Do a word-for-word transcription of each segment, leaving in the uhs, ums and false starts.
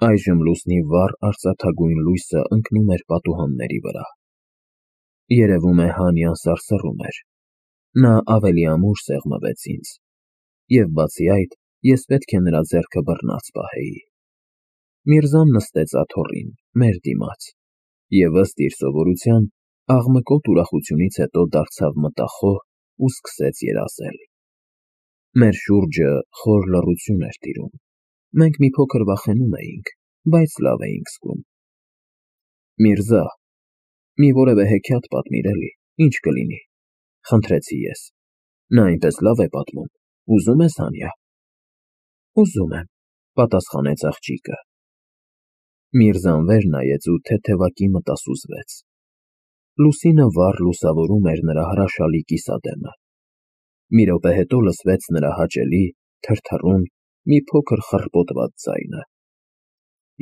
Այժմ լուսնի վառ արծաթագույն լույսը ընկնում էր պատուհանների վրա։ Երևում է Հանյան սարսռում էր, նա ավելի ամուր սեղմվեց ինձ, և բացի այդ, ես պետք է նրա ձեռքը բռնած պահեի։ Միրզան նստեց աթոռին, մեր դիմաց, և ըստ իր սովորության, աղմկոտ ուրախությունից հետո դարձավ մտախոհ ու սկսեց երազել։ Մեր շուրջը խոր լռություն էր տիրում, մենք մի փոքր վախենում էինք, բայց լավ էինք զգում։ Միրզա, մի որևէ հեքիաթ պատմիր էլի, ինչ կլինի, խնդրեցի ես, նա այնպես լավ է պատմում, ուզում ես, Հանյա։ Ուզում եմ, պատասխանեց աղջիկը։ Միրզան վեր նայեց ու թեթևակի մտասուզվեց։ Լուսինը վառ լուսավորում էր նրա հրաշալի կիսադեմը։ Մի րոպե հետո լսվեց նրա հաճելի, թրթռուն, մի փոքր խռպոտված ձայնը.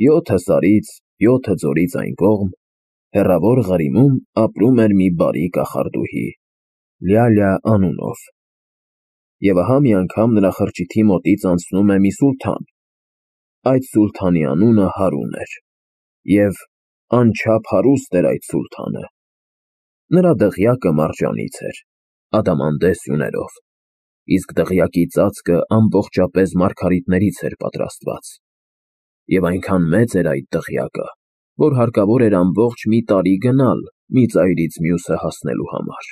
Յոթը սարից, յոթը ձորից այն կողմ, հեռավոր Ղարիմում ապրում էր մի բարի կախարդուհի՝ Լյալյա անունով։ Եվ ահա մի անգամ նրա խրճիթի մոտից անցնում է մի սուլթան։ Այդ սուլթանի անունը Հարուն էր, և անչափ հարուստ էր այդ սուլթանը։ Նրա դղյակը մարջանից էր, ադամանդե սյուներով, իսկ դղյակի ծածկը ամբողջապես մարգարիտներից էր պատրաստված։ Եվ այնքան մեծ էր այդ դղյակը, որ հարկավոր էր ամբողջ մի տարի գնալ մի ծայրից մյուսը հասնելու համար։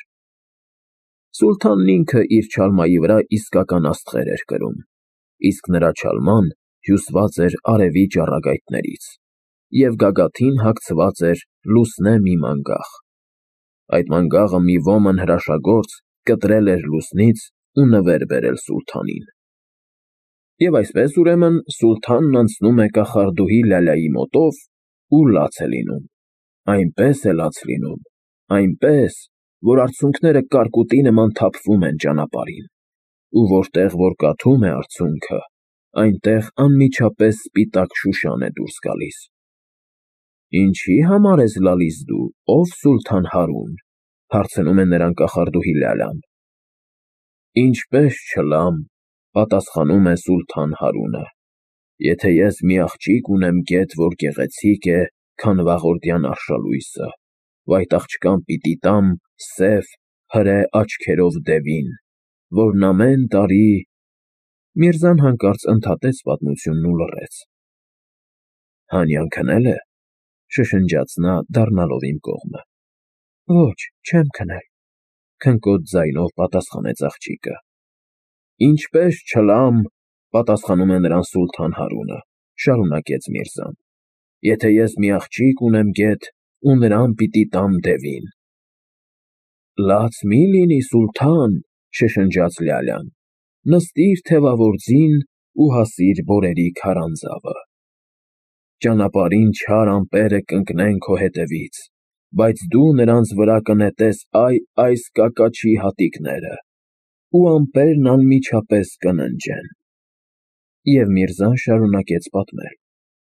Սուլթանն ինքը իր չալմայի վրա իսկական աստղեր էր կրում, իսկ նրա չալման հյուսված էր արևի ճառագայթներից, և գագաթին հագցված էր լուսնե մի մանգաղ։ Այդ մանգաղը մի ոմն հրաշագործ կտրել էր լուսնից ու նվեր բերել սուլթանին։ Եվ այսպես, ուրեմն, սուլթանն անցնում է կախարդուհի Լալայի մոտով ու լաց է լինում, այնպես է լաց լինում, այնպես, որ արցունքները կարկուտի նման թափվում են ճանապարհին, ու որտեղ որ կաթում է արցունքը, այնտեղ անմիջապես սպիտակ շուշան է դուրս գալիս։ Ինչի՞ համար ես լալիս դու, ով սուլթան Հարուն, հարցնում է նրան կախարդուհի Լալան։ Ինչպես չլամ, պատասխանում է սուլթան Հարունը, եթե ես մի աղջիկ ունեմ գետ, որ գեղեցիկ է, քան վաղորդյան արշալույսը, ու այդ աղջկան պիտի տամ սև, հրե աչքերով դևին, որն ամեն տարի… Միրզան հանկարծ ընդհատեց պատմությունն ու լռեց։ Հանյան քնել է, շշնջաց նա, դառնալով իմ կողմը։ Ոչ, չեմ քնել, քնկոտ ձայնով պատասխանեց աղջիկը։ Ինչպես չլամ, պատասխանում է նրան սուլթան Հարունը, շարունակեց Միրզան, եթե ես մի աղջիկ ունեմ գետ, ու նրան պիտի տամ դևին։ Լաց մի լինի, սուլթան, շշնջաց Լալան, նստիր թևավոր ձին ու հասիր բորերի քարանձավը։ Ճանապարհին չար ամպերը կընկնեն քո հետևից, բայց դու նրանց վրա կնետես այ այս կակաչի հատիկները, ու ամպերն անմիջապես կննջեն։ Եվ Միրզան շարունակեց պատմել,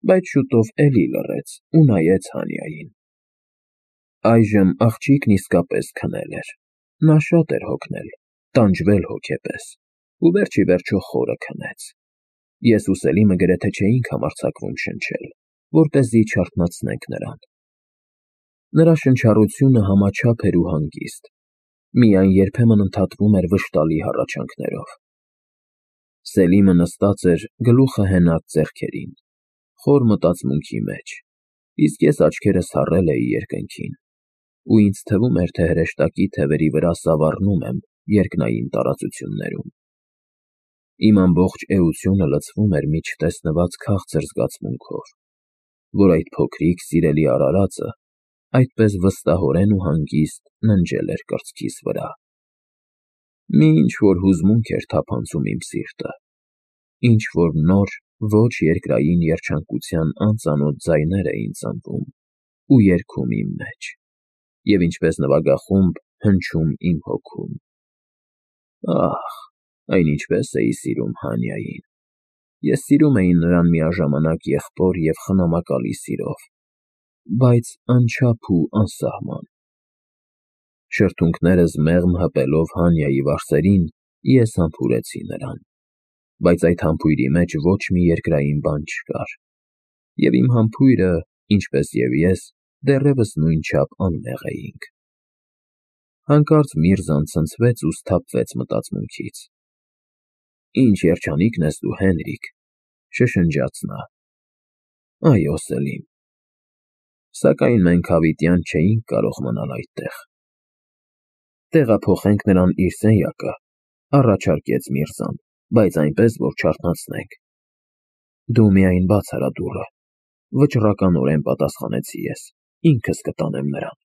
բայց շուտով էլի լռեց ու նայեց Հանյային։ Այժմ աղջիկն իսկապես քնել էր, նա շատ էր հոգնել, տանջվել հոգեպես, ու վերջ ի վերջո խորը քնեց։ Ես ու Սելիմը գրեթե չէինք համարձակվում շնչել, որպեսզի չարթնացնենք նրան։ Նրա շնչառությունը համաչափ էր ու հանգիստ, միայն երբեմն ընդհատվում էր վշտալի հառաչանքներով։ Սելիմը նստած էր գլուխը հենած ձեռքերին, խոր մտածմունքի մեջ, իսկ ես աչքերս հառել էի երկնքին, ու ինձ թվում էր, թե հրեշտակի թևերի վրա սավառնում եմ երկնային տարածություններում։ Իմ ամբողջ էությունը լցվում էր մի չտեսնված քաղցր զգացմունքով, որ այդ փոքրիկ սիրելի արարածը այդպես վստահորեն ու հանգիստ ննջել էր կրծքիս վրա։ Մի ինչ֊որ հուզմունք էր թափանցում իմ սիրտը, ինչ֊որ նոր, ոչ երկրային երջանկության անծանոթ ձայներ էին ծնվում ու երգում իմ մեջ, և ինչպես նվագախումբ հնչում իմ հոգում։ Ահ, այն ինչպես էի սիրում Հանյային։ Ես սիրում էի նրան միաժամանակ եղբոր և խնամակալի սիրով, բայց անչափ ու անսահման։ Շրթունքներս մեղմ հպելով Հանյայի վարսերին, ես համբուրեցի նրան, բայց այդ համբույրի մեջ ոչ մի երկրային բան չկար։ և իմ համբույրը, ինչպես և ես, դեռևս նույնչափ անմեղ էինք։ Հանկարծ Միրզան ցնցվեց ու սթափվեց մտածմունքից։ «Ինչ երջանիկն ես դու, Հենրիկ», շշնջաց նա։ «Այո, Սելիմ, սակայն մենք հավիտյան չէինք կարող մնալ այդտեղ»։ «Տեղափոխենք նրան իր սենյակը», առաջարկեց Միրզան, «բայց այնպես, որ չարթնացնենք»։ «Դու միայն բաց արա դուռը», վճռականորեն պատասխանեցի ես, «ինքս կտանեմ նրան»։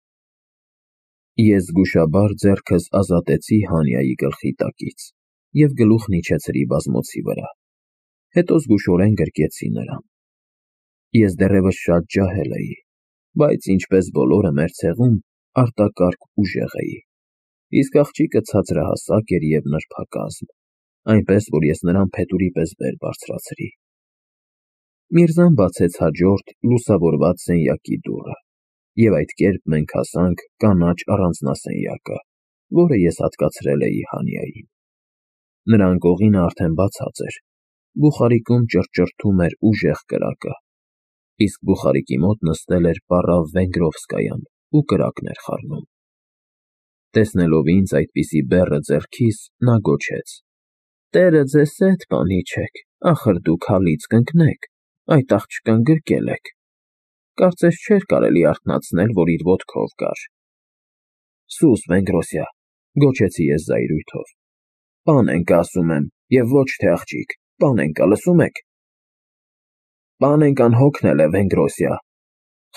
Ես զգուշաբար ձեռքս ազատեցի Հանիայի գլխի տակից և գլուխն իջեցրի բազմոցի վրա, հետո զգուշորեն գրկեցի նրան։ Ես դեռևս շատ ջահել էի, բայց, ինչպես բոլորը մեր ցեղում, արտակարգ ուժեղ էի, իսկ աղջիկը ցածրահասակ էր և նրբակազմ, այնպես որ ես նրան փետուրի պես վեր բարձրացրի։ Միրզան բացեց հաջորդ լուսավորված սենյակի դուռը, և այդ կերպ մենք հասանք կանաչ առանձնասենյակը, որը ես հատկացրել էի Հանիային։ Նրա անկողինը արդեն բացած էր, բուխարիկում ճռճռթում էր ուժեղ կրակը, իսկ բուխարիկի մոտ նստել էր պառավ Վենգրովսկայան ու կրակն էր խառնում։ Տեսնելով ինձ այդպիսի բեռը ձեռքիս, նա գոչեց. «Տերը ձեզ հետ, պանիչեք, ախր դուք հալից կընկնեք, այդ աղջկան գրկել եք։ Կարծես չէր կարելի արթնացնել, որ իր ոտքով կար»։ «Սուս, Վենգրոսյա», գոչեցի ես զայրույթով, «Պանենկա, ասում եմ, և ոչ թե աղջիկ, Պանենկա, լսում եք։ Պանենկան հոգնել է, Վենգրոսյա,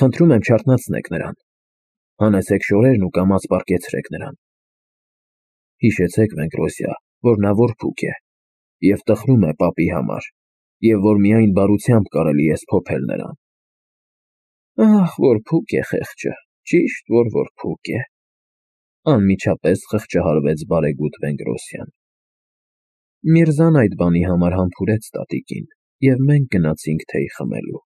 խնդրում եմ չարթնացնեք նրան, հանեցեք շորերն ու կամաց պառկեցրեք նրան։ Հիշեցեք, Վենգրոսյա, որ նա որփուկ է և տխրում է պապի համար, և որ միայն բարությամբ կարելի է սփոփել նրան»։ «Ահ, որփուկ է խեղճը, ճիշտ որ որփուկ է», անմիջապես խղճահարվեց բարեգութ Վենգրոսյան։ Միրզան այդ բանի համար համբուրեց տատիկին, և մենք գնացինք թեյ խմելու։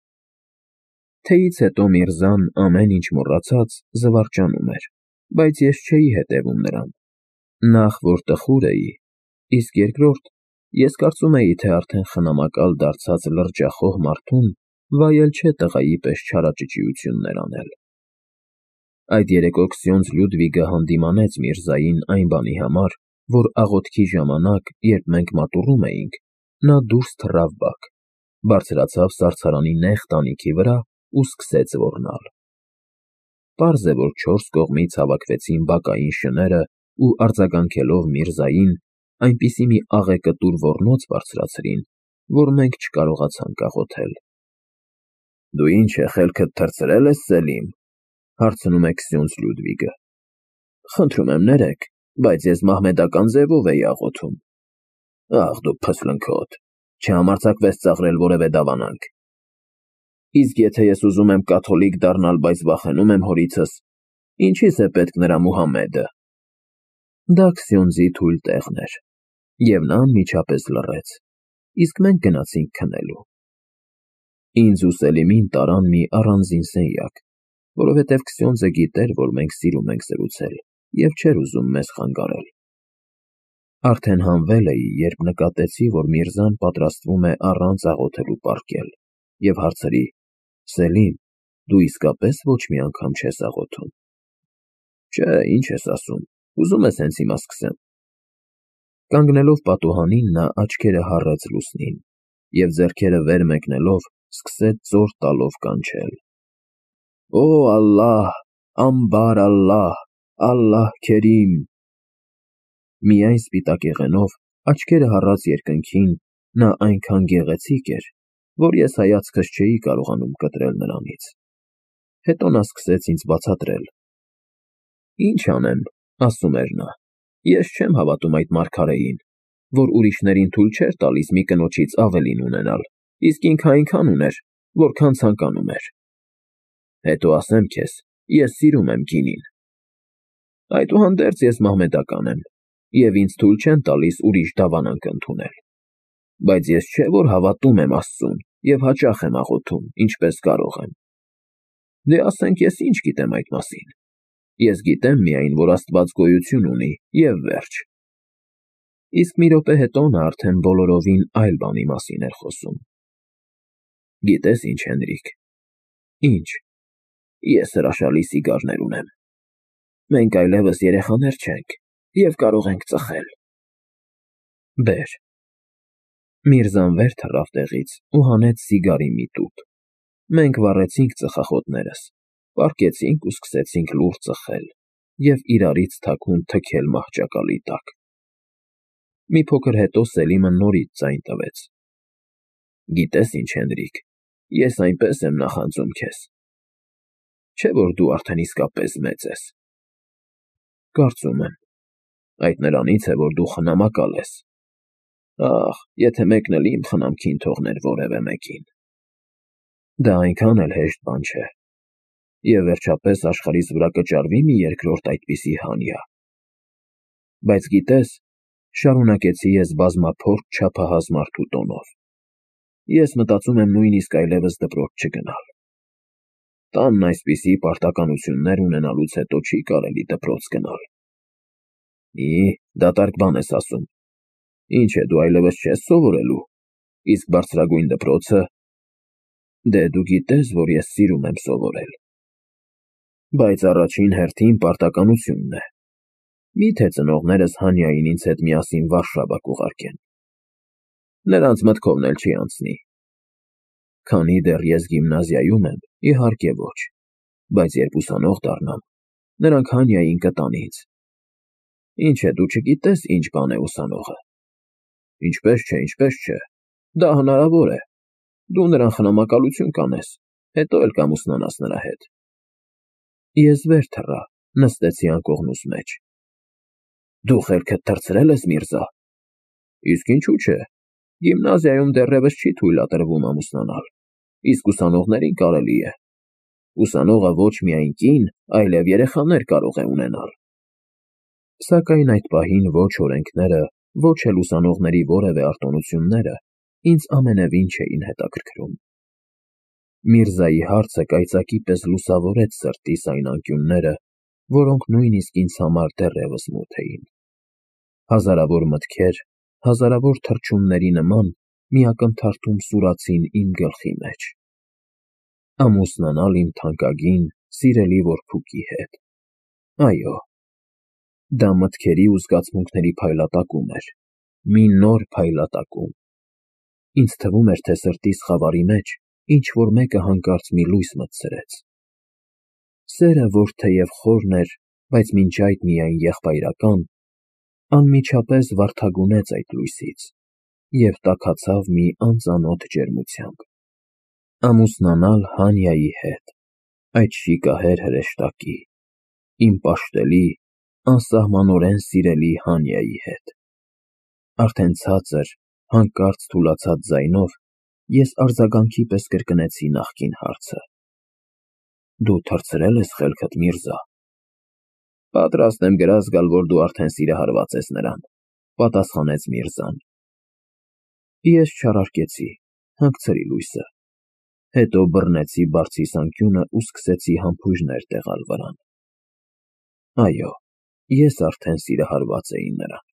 Թեյից հետո Միրզան, ամեն ինչ մոռացած, զվարճանում էր, բայց ես չէի հետևում նրան։ Նախ, որ տխուր էի, իսկ երկրորդ, ես կարծում էի, թե արդեն խնամակալ դարձած լրջախոհ մարդուն վայել չէ տղայի պես չարաճճիություններ անել։ Այդ երեկո Քսյոնձ Լյուդվիգը հանդիմանեց Միրզային այն բանի համար, որ աղոթքի ժամանակ, երբ մենք մատուռում էինք, նա դուրս թռավ բակ, բարձրացավ սառցարանի նեղ տանիքի վրա ու սկսեց ոռնալ։ Պարզ է, որ չորս կողմից հավաքվեցին բակային շները ու արձագանքելով Միրզային, այնպիսի մի աղեկտուր ոռնոց բարձրացրին, որ մենք չկարողացանք աղոթել։ «Դու ինչ է, խելքդ թռցրել ես, Սելիմ», հարցնում է Քսյոնձ Լյուդվիգը։ «Խնդրում եմ ներեք, բայց ես մահմեդական ձևով էի աղոթում»։ «Ախ դու փսլնքոտ, չհամարձակվես ծաղրել որևէ դավանանք»։ «Իսկ եթե ես ուզում եմ կաթոլիկ դառնալ, բայց վախենում եմ հորիցս, ինչի՞ս է պետք նրա Մուհամմեդը»։ Դա Քսյոնձի թույլ տեղն էր, և նա անմիջապես լռեց, իսկ մենք գնացինք քնելու։ Ինձ ու Սելիմին տարան մի առանձին սենյակ, որովհետև Քսյոնձը գիտեր, որ մենք սիրում ենք զրուցել, և չէր ուզում մեզ խանգարել։ Արդեն հանվել էի, երբ նկատեցի, որ Միրզան պատրաստվում է առանց աղոթելու պառկել, և հարցրի. «Սելիմ, դու իսկապես ոչ մի անգամ չես աղոթում»։ «Չէ, ինչ ես ասում, ուզում ես հենց հիմա սկսեմ»։ Կանգնելով պատուհանին, նա աչքերը հառեց լուսնին և ձեռքերը վեր մեկնելով սկսեց զոր տալով կանչել. «Օ Ալլահ, Ամբար Ալլահ, Ալլահ Քերիմ»։ Միայն սպիտակեղենով, աչքերը հառած երկնքին, նա այնքան գեղեցիկ էր, որ ես հայացքս չէի կարողանում կտրել նրանից։ Հետո նա սկսեց ինձ բացատրել. «Ինչ անեմ, ասում էր նա, ես չեմ հավատում այդ մարգարեին, որ ուրիշներին թույլ չէր տալիս մի կնոջից ավելին ունենալ, իսկ ինքը այնքան ուներ, որքան ցանկանում էր։ Հետո ասեմ քեզ, ես սիրում եմ կինին։ Այդուհանդերձ ես մահմեդական եմ, և ինձ թույլ չեն տալիս ուրիշ դավանանք ընդունել։ Բայց ես չէ որ հավատում եմ Աստծուն և հաճախ եմ աղոթում, ինչպես կարող եմ։ Դե ասենք ես ինչ գիտեմ այդ մասին։ Ես գիտեմ միայն, որ Աստված գոյություն ունի, և վերջ»։ Իսկ մի րոպե հետո նա արդեն բոլորովին այլ բանի մասին էր խոսում։ Գիտես ինչ, Հենրիկ։ Ինչ։ Ես հրաշալի սիգարներ ունեմ։ Մենք այլևս երեխաներ չենք և կարող ենք ծխել։ Բեր։ Միրզան վեր թռավ տեղից ու հանեց սիգարի մի տուփ։ Մենք վառեցինք ծխախոտներս, պառկեցինք ու սկսեցինք լուռ ծխել և իրարից թաքուն թքել մահճակալի տակ։ Մի փոքր հետո Սելիմը նորից ձայն տվեց. Գիտես ինչ, Հենրիկ, ես այնպես եմ նախանձում քեզ։ Չէ՞ որ դու արդեն իսկապես մեծ ես։ Կարծում եմ։ Այդ նրանից է, որ դու խնամակալ ես։ Ախ, եթե մեկն էլ իմ խնամքին թողներ որևէ մեկին։ Դա այնքան էլ հեշտ բան չէ։ Եվ վերջապես աշխարհիս վրա կճարվի՞ մի երկրորդ այդպիսի Հանյա։ Բայց գիտես, շարունակեցի ես բազմափորձ չափահաս մարդու տոնով, ես մտածում եմ նույնիսկ այլևս դպրոց չգնալ։ Տանն այսպիսի պարտականություններ ունենալուց հետո չի կարելի դպրոց գնալ։ Մի, դատարկ բան ես ասում։ Ինչ է, դու այլևս չես սովորելու, իսկ բարձրագույն դպրոցը… Դե դու գիտես, որ ես սիրում եմ սովորել։ Բայց առաջին հերթին պարտականությունն է։ Մի՞թե ծնողներս Հանյային ինձ հետ միասին Վարշավա կուղարկեն։ Նրանց մտքովն էլ չի անցնի։ Քանի դեռ ես գիմնազիայում եմ, իհարկե ոչ, բայց երբ ուսանող դառնամ, նրանք Հանյային կտան ինձ։ Ինչ է, դու չգիտես ինչ բան է ուսանողը։ Ինչպես չէ, ինչպես չէ, դա հնարավոր է։ Դու նրան խնամակալություն կանես, հետո էլ կամուսնանաս նրա հետ։ Ես վեր թռա, նստեցի անկողնուս մեջ։ Դու խելքդ թռցրել ես, Միրզա։ Իսկ ինչու՞ չէ։ Գիմնազիայում դեռևս չի թույլատրվում ամուսնանալ, իսկ ուսանողներին կարելի է։ Ուսանողը ոչ միայն կին, այլև երեխաներ կարող է ունենալ։ Սակայն այդ պահին ոչ օրենքները, ոչ էլ ուսանողների որևէ արտոնությունները ինձ ամենևին չէին հետաքրքրում։ Միրզայի հարցը կայծակի պես լուսավորեց սրտիս այն անկյունները, որոնք նույնիսկ ինձ համար դեռևս մութ էին։ Հազարավոր մտքեր, հազարավոր թռչունների նման միակնթարթում սուրացին իմ գլխի մեջ։ Ամուսնանալ իմ թանկագին, սիրելի որբուկի հետ։ Այո, դա մտքերի ու զգացմունքների փայլատակում էր, մի նոր փայլատակում։ Ինձ թվում էր, թե սրտիս խավարի մեջ ինչ-որ մեկը հանկարծ մի լույս մտցրեց։ Սերը, որ թեև խորն էր, բայց մինչ այդ միայն եղբայրական, անմիջապես վարդագունեց այդ լույսից և տաքացավ մի անծանոթ ջերմությամբ։ Ամուսնանալ Հանյայի հետ, այդ շիկահեր հրեշտակի, իմ պաշտելի, անսահմանորեն սիրելի Հանյայի հետ։ Արդեն ցածր, հանկարծ թուլացած ձայնով ես արձագանքի պես կրկնեցի նախկին հարցը. Դու թռցրել ես խելքդ, Միրզա։ Պատրաստ եմ գրազ գալ, որ դու արդեն սիրահարված ես նրան, պատասխանեց Միրզան։ Ես չարարկեցի, հանգցրի լույսը, հետո բռնեցի բարձիս անկյունը ու սկսեցի համբույրներ տեղալ վրան։ Այո, ես արդեն սիրահարված էի նրան։